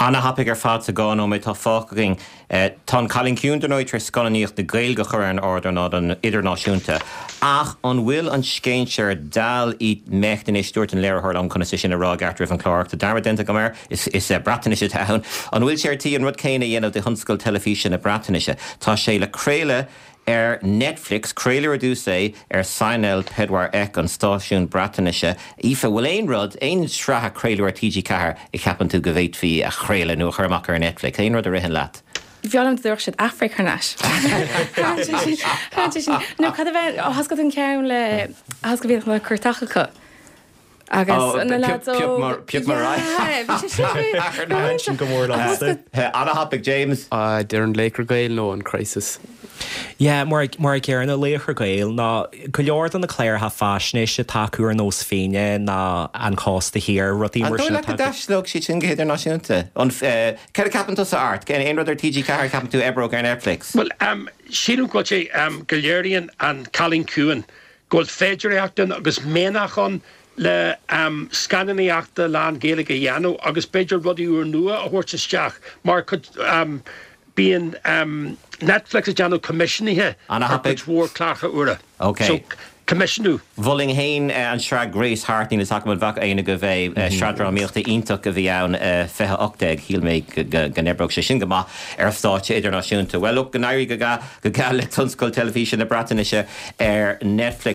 Ana-thapaidh ar fad sa 2 nóiméad atá fágtha againn. Tá An Cailín Ciúin, dar ndóigh, tar éis scannánaíocht na Gaeilge a chur ar an ardán idirnáisiúnta. Ach an bhfuil an scéinséir Dal i mbecht anois, dúirt an léiritheoir liom conas é sin a rá i gceart roimh an chlár ach tá dearmad déanta agam air, is Breatnais atá ann. An bhfuil sé ar tí an rud céanna a dhéanamh do thionscal teilifíse na Breatnaise? Tá sé le craoladh Ar Netflix, craoladh ar dtús é ar Sianel Pedwar Ec, an stáisiún Breatnaise. Aoife, bhfuil aon rud, aon sraith a craoladh ar TG4 a cheapann tú go bhféadfaí a chraoladh nó a chur amach ar Netflix? Aon rud a ritheann leat? B'fhearr liom dá dtabharfadh siad Aifric thar n-ais. Nó cad a bheith, thá 's agat an ceann le, thá 's agat bhíodh na cuairteach acu. Agus na lads óg. Pioc mar Yeah, bhí sé sin. Sin go mór liomsa. Ana-thapaidh, James. Déarfainn Laochra Gael nó an Crisis. Yeah, mar mar a chéanna Laochra Gael nó go leor de na cláracha faisnéise atá acu ar nós Fíné nó An Cósta Thiar, rudaí An mar dóigh sin leat go atá acu. dtaistealódh siad sin go hidirnáisiúnta? An, céard a ceapann tusa, Art? Aon rud ar TG4 a cheapann tú a oibreodh ar Netflix? Bhuel, sílim go bhfuil sé, go léiríonn An Cailín Ciúin go bhfuil féidearthacht ann agus mianach ann le scannánaíochta lán-Ghaeilge a dhéanamh agus b'fhéidir rudaí úrnua a thabhairt isteach mar bíonn Netflix ag déanamh coimisiúnaithe ar chuid mhór cláracha úra. So, coimisiúnú. Mholfainn féin an sraith Grace Harte, níl fhios agam an bhfaca éinne agaibh é, sraith drámaíochta iontach a bhí ann, 2018, shíl mé go n-oibreodh sé sin go maith ar stáitse idirnáisiúnta. Bhuel, look, go n-éirí go geal le tionscal teilifíse na Breatnaise ar Netflix.